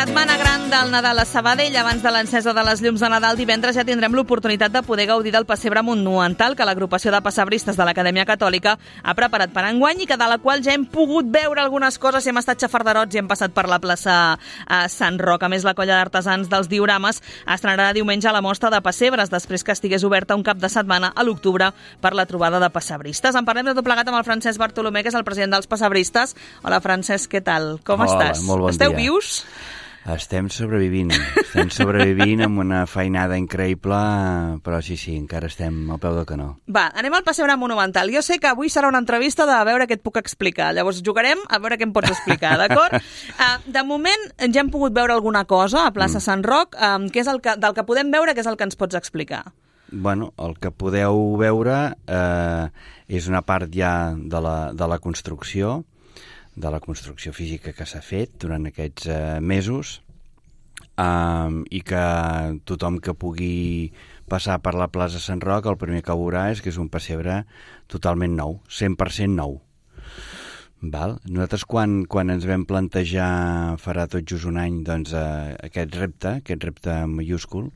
Setmana gran del Nadal a Sabadell. Abans de l'encesa de les llums de Nadal, divendres ja tindrem l'oportunitat de poder gaudir del pessebre monumental que l'agrupació de pessebristes de l'Acadèmia Catòlica ha preparat per enguany i que de la qual ja hem pogut veure algunes coses i hem estat xafarderots i hem passat per la plaça Sant Roc. A més, la colla d'artesans dels diorames estrenarà diumenge la mostra de pessebres després que estigués oberta un cap de setmana a l'octubre per la trobada de pessebristes. En parlem de tot plegat amb el Francesc Bartolomé, que és el president dels pessebristes. Hola, Francesc, què tal? Com estàs? Molt bon Esteu dia. vius? Estem sobrevivint amb una feinada increïble, però sí, encara estem al peu del canó. Va, anem al pessebre monumental. Jo sé que avui serà una entrevista de veure què et puc explicar. Llavors jugarem a veure què em pots explicar, d'acord? De moment ja hem pogut veure alguna cosa a plaça Sant Roc. Què és del que podem veure, què és el que ens pots explicar? Bueno, el que podeu veure és una part ja de la construcció, física que s'ha fet durant aquests mesos i que tothom que pugui passar per la plaça Sant Roc el primer que veurà és que és un pessebre totalment nou, 100% nou. Val? Nosaltres quan ens vam plantejar farà tot just un any doncs, aquest repte mayúscul,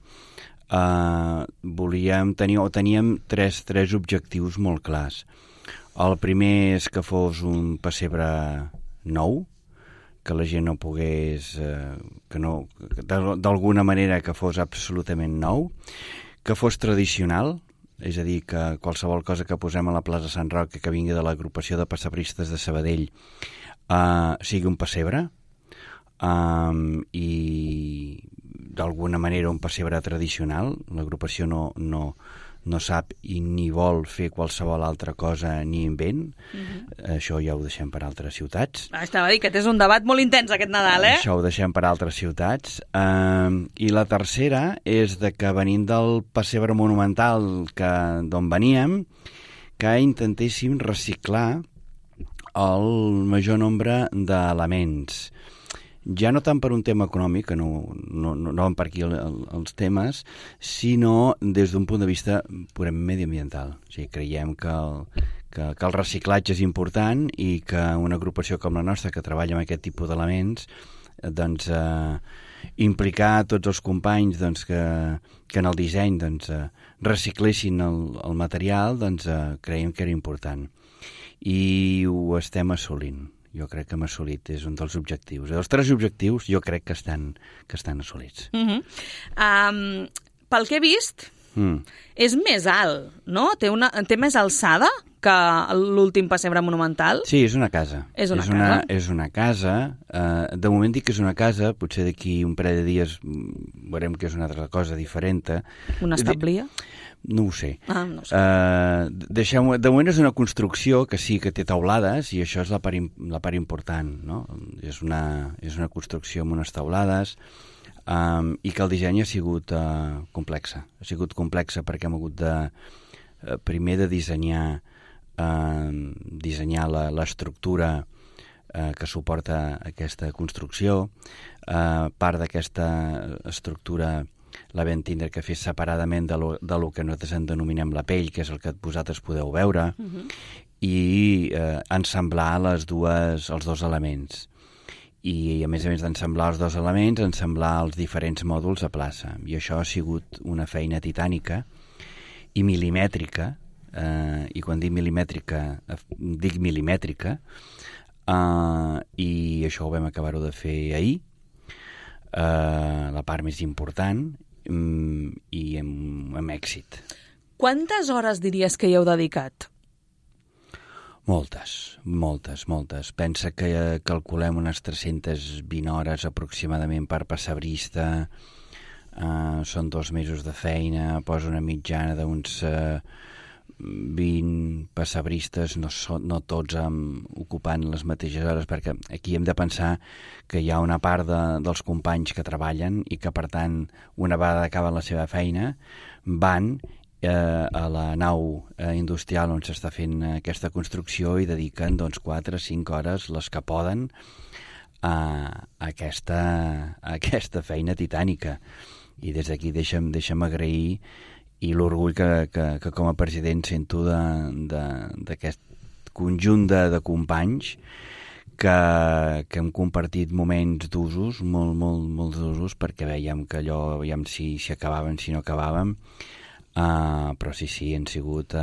teníem tres objectius molt clars. El primer és que fos un pessebre nou, que la gent no pogués, d'alguna manera que fos absolutament nou, que fos tradicional, és a dir, que qualsevol cosa que posem a la plaça Sant Roc que vingui de l'agrupació de pessebristes de Sabadell sigui un pessebre i d'alguna manera un pessebre tradicional. L'agrupació no sap i ni vol fer qualsevol altra cosa ni invent. Això ja ho deixem per altres ciutats. Estava a dir que és un debat molt intens aquest Nadal, Això ho deixem per altres ciutats. I la tercera és de que venint del pessebre monumental d'on veníem, que intentéssim reciclar el major nombre d'elements. Ja no tant per un tema econòmic, que no van per aquí els temes, sinó des d'un punt de vista purament mediambiental. O sigui, creiem que el reciclatge és important i que una agrupació com la nostra, que treballa amb aquest tipus d'elements, doncs, implicar tots els companys doncs, que en el disseny doncs, reciclessin el material, doncs, creiem que era important. I ho estem assolint. Jo crec que hem assolit, és un dels objectius. Els tres objectius jo crec que estan assolits. Pel que he vist, és més alt, no? Té més alçada que l'últim pessebre monumental? Sí, és una casa. És una casa. De moment dic que és una casa, potser d'aquí un parell de dies veurem que és una altra cosa diferent. Una establia? No ho sé. No sé. De moment és una construcció que sí que té teulades i això és la part important, no? És una construcció amb unes teulades i que el disseny ha sigut complexa. Ha sigut complexa perquè hem hagut primer de dissenyar l'estructura que suporta aquesta construcció. Part d'aquesta estructura la vam tindre que fer separadament de lo que nosaltres en denominem la pell, que és el que vosaltres podeu veure, i ensamblar els dos elements. I a més d'ensamblar els dos elements, ensamblar els diferents mòduls a plaça. I això ha sigut una feina titànica i milimètrica, i quan dic milimètrica, dic milimètrica, i això ho vam acabar-ho de fer ahir, la part més important, i amb èxit. Quantes hores diries que hi heu dedicat? Moltes. Pensa que calculem unes 320 hores aproximadament per pessebrista, són 2 mesos de feina, posa una mitjana d'uns 20 pessebristes, no tots ocupant les mateixes hores, perquè aquí hem de pensar que hi ha una part dels companys que treballen i que, per tant, una vegada acaben la seva feina, van a la nau industrial on s'està fent aquesta construcció i dediquen 4 o 5 hores, les que poden, a aquesta feina titànica. I des d'aquí deixa'm agrair i l'orgull que com a president sento d'aquest conjunt de companys que hem compartit moments d'usos, molts d'usos, perquè veiem que allò, veiem si acabàvem, si no acabàvem, però sí, han sigut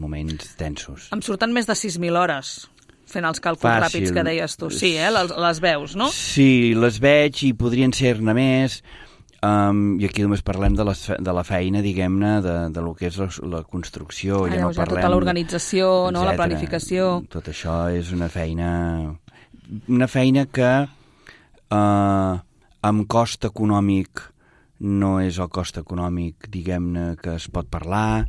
moments tensos. Em surten més de 6.000 hores fent els càlculs ràpids que deies tu. Sí, les veus, no? Sí, les veig i podrien ser-ne més. I aquí només parlem de la feina, diguem-ne, de lo que és la construcció. Ja no parlem, tota l'organització, no? La planificació. Tot això és una feina que amb cost econòmic no és el cost econòmic, diguem-ne, que es pot parlar,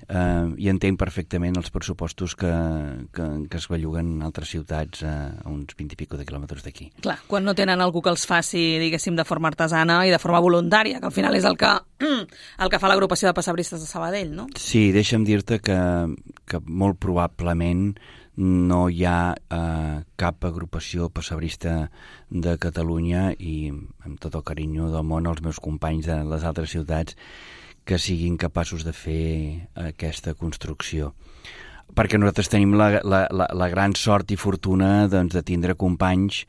i entenc perfectament els pressupostos que es belluguen en altres ciutats a uns 20 i pico de quilòmetres d'aquí. Clar, quan no tenen algú que els faci, diguéssim, de forma artesana i de forma voluntària, que al final és el que fa l'agrupació de passebristes de Sabadell, no? Sí, deixa'm dir-te que molt probablement no hi ha cap agrupació passebrista de Catalunya, i amb tot el carinyo del món als meus companys de les altres ciutats, que siguin capaços de fer aquesta construcció. Perquè nosaltres tenim la gran sort i fortuna, doncs, de tindre companys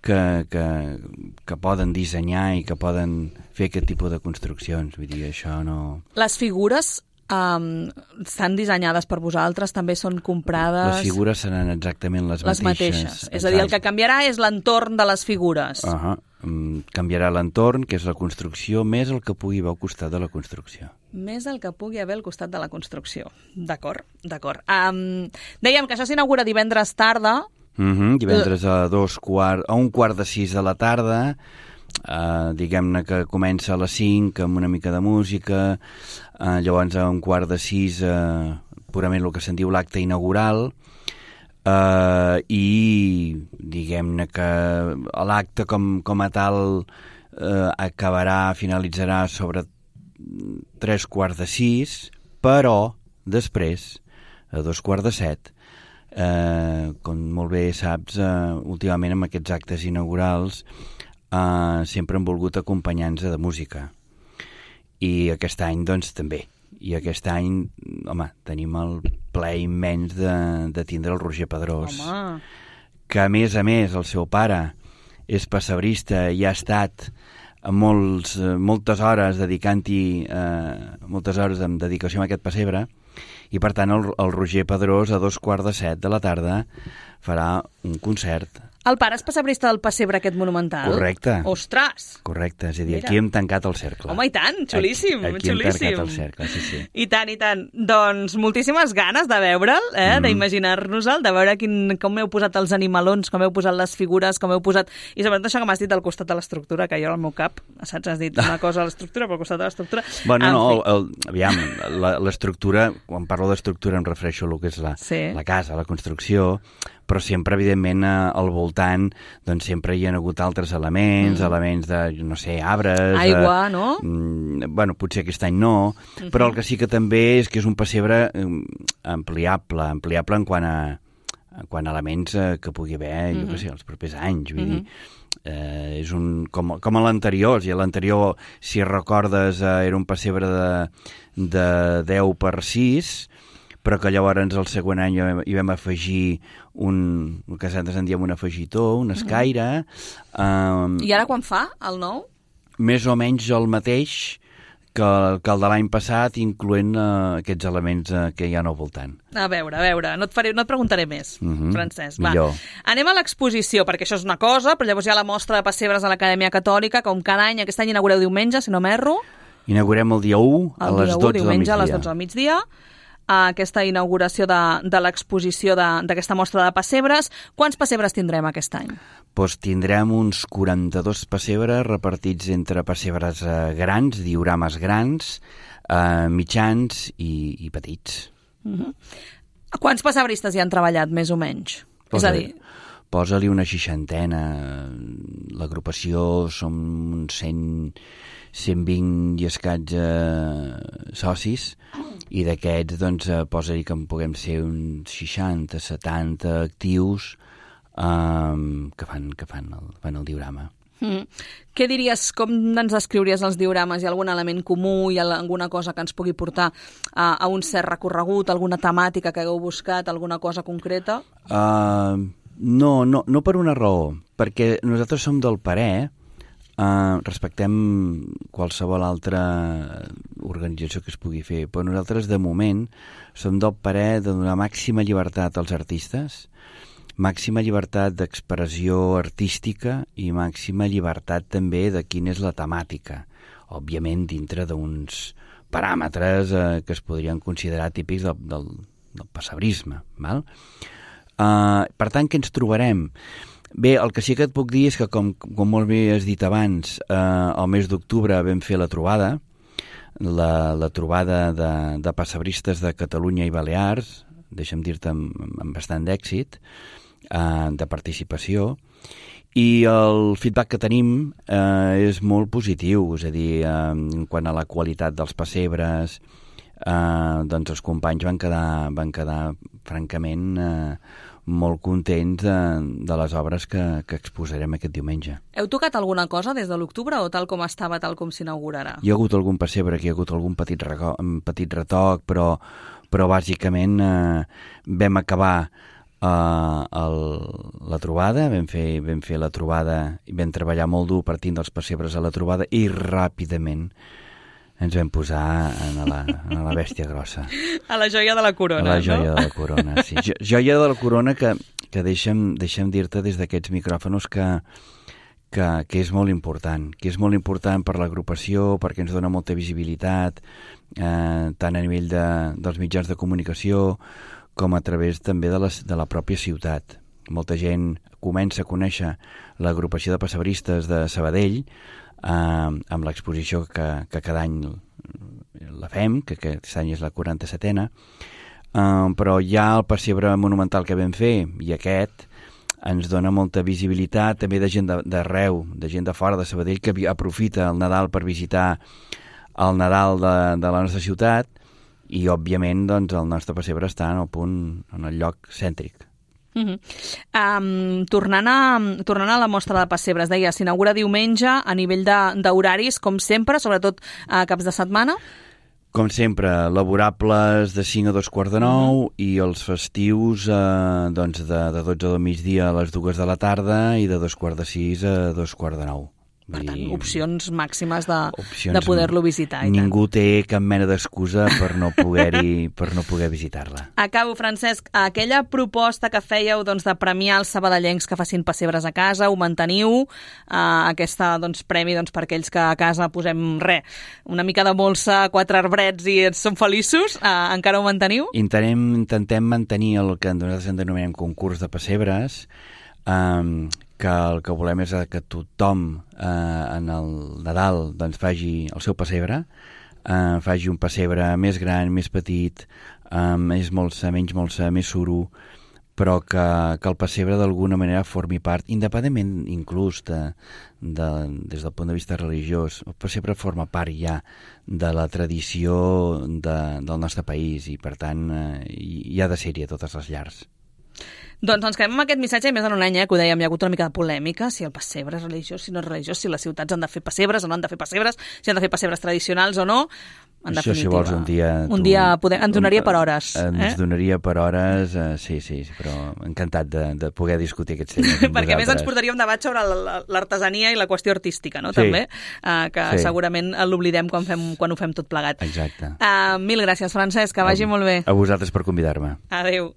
que poden dissenyar i que poden fer aquest tipus de construccions. Vull dir, això no... Les figures estan dissenyades per vosaltres, també són comprades... Les figures seran exactament les mateixes. És a dir, el que canviarà és l'entorn de les figures. Canviarà l'entorn, que és la construcció, més el que pugui haver al costat de la construcció. Més el que pugui haver al costat de la construcció. D'acord. Dèiem que això s'inaugura divendres tarda. Divendres a 1:15 de la tarda. Diguem-ne que comença a les 5 amb una mica de música, llavors a 5:15 purament el que se'n diu l'acte inaugural, i diguem-ne que l'acte com a tal finalitzarà sobre 5:45, però després, a 6:45, com molt bé saps, últimament amb aquests actes inaugurals sempre han volgut acompanyar-nos de música, i aquest any doncs també. I aquest any, home, tenim el plaer immens de tindre el Roger Pedrós, que a més el seu pare és passebrista i ha estat moltes hores dedicant-hi, moltes hores amb dedicació a aquest pessebre, i per tant el Roger Pedrós a 6:45 de la tarda farà un concert. El pare és passebrista del pessebre aquest monumental? Correcte. Ostres! Correcte, és a dir, aquí hem tancat el cercle. Home, i tant, xulíssim, aquí hem tancat el cercle, sí. I tant. Doncs moltíssimes ganes de veure'l, d'imaginar-nos-el, de veure com heu posat els animalons, com heu posat les figures, com heu posat... I sobretot això que m'has dit al costat de l'estructura, que jo al meu cap, saps, has dit una cosa a l'estructura, però al costat de l'estructura... Bueno, aviam, l'estructura, quan parlo d'estructura em refereixo a el que és la casa, la construcció, però sempre, evidentment, al voltant, doncs sempre hi ha hagut altres elements de, no sé, arbres... Aigua, no? Bueno, potser aquest any no, però el que sí que també és que és un pessebre ampliable en quant a elements que pugui haver, jo què sé, els propers anys, vull dir... És com a l'anterior, i l'anterior, si recordes, era un pessebre de 10x6, però que llavors el següent any hi vam afegir el que nosaltres en diem un afegitó, un escaire. I ara quan fa, el nou? Més o menys el mateix que el de l'any passat, incloent aquests elements que hi ha al voltant. A veure, no et preguntaré més, Francesc. Millor. Anem a l'exposició, perquè això és una cosa, però llavors hi ha la mostra de pessebres a l'Acadèmia Catòlica, com cada any. Aquest any inaugureu diumenge, si no m'erro. Inaugurem el dia 1 a les 12 del migdia. Diumenge a les 12 del migdia. Aquesta inauguració de l'exposició d'aquesta mostra de pessebres. Quants pessebres tindrem aquest any? Doncs tindrem uns 42 pessebres repartits entre pessebres grans, diorames grans, mitjans i petits. Quants pessebristes hi han treballat, més o menys? És a dir... Posa-li una 60. L'agrupació som uns 120 i escaig socis, i d'aquests doncs, posa-li que en puguem ser uns 60, 70 actius que fan el diorama. Què diries, com ens descriuries els diorames? Hi ha algun element comú, hi ha alguna cosa que ens pugui portar a un cert recorregut, alguna temàtica que hagueu buscat, alguna cosa concreta? No per una raó, perquè nosaltres som del parer, respectem qualsevol altra organització que es pugui fer, però nosaltres de moment som del parer de donar màxima llibertat als artistes, màxima llibertat d'expressió artística i màxima llibertat també de quina és la temàtica, òbviament dintre d'uns paràmetres que es podrien considerar típics del pessebrisme, val? Per tant, què ens trobarem? Bé, el que sí que et puc dir és que, com molt bé has dit abans, al mes d'octubre vam fer la trobada, la trobada de pessebristes de Catalunya i Balears, deixa'm dir-te amb bastant d'èxit, de participació, i el feedback que tenim és molt positiu, és a dir, quant a la qualitat dels pessebres, doncs els companys van quedar francament molt contents de les obres que exposarem aquest diumenge. Heu tocat alguna cosa des de l'octubre o tal com estava, tal com s'inaugurarà? Hi ha hagut algun pessebre, hi ha hagut algun petit retoc, però bàsicament vam acabar la trobada, vam fer la trobada i vam treballar molt dur partint dels pessebres a la trobada i ràpidament ens vam posar a la bèstia grossa. A la joia de la corona, a la joia de la corona, sí. Joia de la corona que deixa'm dir-te des d'aquests micròfons que és molt important, per l'agrupació, perquè ens dona molta visibilitat, tant a nivell dels mitjans de comunicació com a través també de la pròpia ciutat. Molta gent comença a conèixer l'agrupació de pessebristes de Sabadell amb l'exposició que cada any la fem, que aquest any és la 47a, però ja el pessebre monumental que vam fer i aquest ens dona molta visibilitat també de gent d'arreu, de gent de fora de Sabadell que aprofita el Nadal per visitar el Nadal de la nostra ciutat i, òbviament, doncs, el nostre pessebre està en el lloc cèntric. Tornant a la mostra de pessebres, deia, s'inaugura diumenge a nivell d'horaris, com sempre, sobretot a caps de setmana? Com sempre, laborables de 5 a 2:45 i els festius doncs de 12 del migdia a les 2 de la tarda i de 5:45 a 2:45. Per tant, opcions màximes de poder-lo visitar. Ningú té cap mena d'excusa per no poder visitar-la. Acabo, Francesc. Aquella proposta que fèieu doncs, de premiar els sabadellencs que facin pessebres a casa, ho manteniu? Aquesta premi per aquells que a casa posem una mica de molsa, 4 arbrets i som feliços, encara ho manteniu? Intentem mantenir el que nosaltres en denominem concurs de pessebres, que el que volem és que tothom en el Nadal doncs, faci el seu pessebre, faci un pessebre més gran, més petit, més molsa, menys molsa, més suro, però que el pessebre d'alguna manera formi part, independentment inclús des del punt de vista religiós. El pessebre forma part ja de la tradició del nostre país i, per tant, hi ha de ser-hi a totes les llars. Doncs ens quedem amb aquest missatge, i més en un any que ho dèiem, hi ha hagut una mica de polèmica, si el pessebre és religiós, si no és religiós, si les ciutats han de fer pessebres o no han de fer pessebres, si han de fer pessebres tradicionals o no. En això, definitiva, si vols, un dia ens donaria per hores. Ens donaria per hores, sí, però encantat de poder discutir aquests temes. Perquè a més ens portaria un debat sobre l'artesania i la qüestió artística, no? Sí. També, que segurament l'oblidem quan ho fem tot plegat. Exacte. Mil gràcies, Francesc, que vagi molt bé. A vosaltres per convidar-me. Adéu.